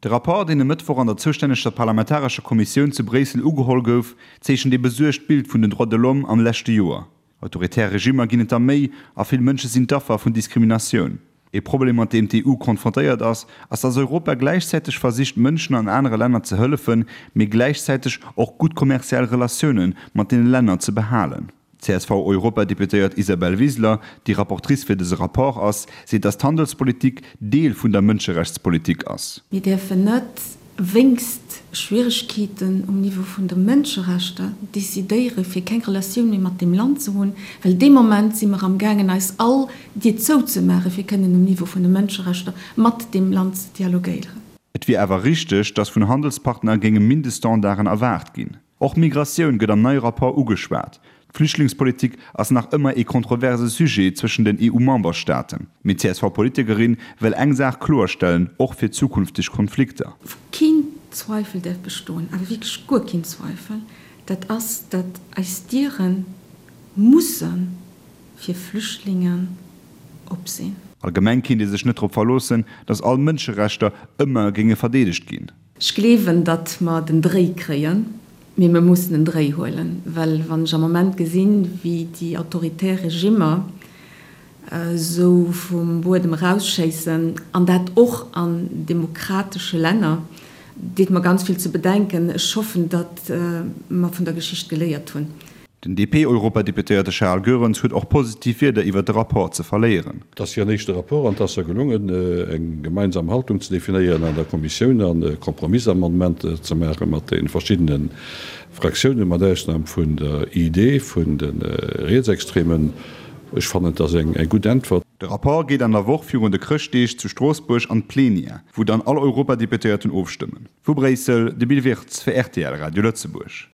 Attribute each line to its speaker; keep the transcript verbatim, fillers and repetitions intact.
Speaker 1: De Rapport, deen e Mëttwoch an der zoustänneger parlamentarescher Kommissioun zu Bréissel ugeholl gouf, zeechent ee besuergt Bild vun den Droits de l'homme am leschte Joer. Autoritär Regimmer ginn et der méi a vill Mënsche sinn d'Affer vun Diskriminatioun. Ee Problem, mat deem d'EU konfrontéiert ass, ass dass Europa gläichzäiteg versicht Mënschen an anere Länner ze hëllefen, mee gläichzäiteg och gutt kommerziell Relatioune mat deene Länner ze behalen. D'CSV-Europadeputéiert Isabel Wiseler, déi Rapportrice fir dëse Rapport ass, seet dass d'Handelspolitik Deel vun der Mënscherechtspolitik ass.
Speaker 2: Mir däerfen net wéinst Schwieregkeeten um Niveau vun de Mënscherechter decidéiere fir keng Relatioun méi mat deem Land ze hunn, well dee Moment si mer amgaangen eis all Dier zouzemaache fir kënnen um Niveau vun de Mënscherechter mat deem Land ze dialogéieren.
Speaker 1: Et wier awer richteg, dass vun Handelspartner géinge Mindeststandarden erwaart ginn. Och Migratioun gëtt am neie Rapport ugeschwat. D'Flüchtlingspolitik ass nach ëmmer ee kontroverse Sujet zwëschen den EU-Memberstaaten. Mee d'CSV-Politikerin wëll eng Saach kloerstellen, och fir zukünfteg Konflikter.
Speaker 2: Wou keen Zweifel däerf bestoen, awer wierklech guer keen Zweifel, dat ass, datt eis Diere musse fir Flüchtlingen op sinn.
Speaker 1: Allgemeng kéint ee sech net drop verloossen, datt all Mënscherechter ëmmer géinge verdeedegt ginn.
Speaker 2: Ech gleewen, datt mer den Dréi kréien, mee mer mussen en Dréi huelen, well wann ech am Moment gesinn, wéi déi autoritär Regimmer esou vum Buedem erausschéissen, an dat och an demokratesche Länner, deet mer ganz vill ze bedenken. Ech hoffen, datt mer vun der Geschicht geléiert hunn.
Speaker 1: Den D P-Europadeputéierte Charles Goerens huet och positiv Wierder iwwer de Rapport ze verléieren.
Speaker 3: Et ass hiren éischte Rapport an et ass gelongen, eng gemeinsam Haltung ze definéieren an der Kommissioun an Kompromissamendementer ze maache mat de verschiddene Fraktiounen, mat Ausnam vun der I D, vun de Rietsextremen. Ech fannen, dat ass eng gutt Äntwert.
Speaker 1: De Rapport geet an der Woch virun de Chrëschtdeeg zu Stroossbuerg an d'Plenière, wou dann all Europadeputéierten ofstëmmen. Vu Bréissel, de Bill Wirtz fir R T L Radio Lëtzebuerg.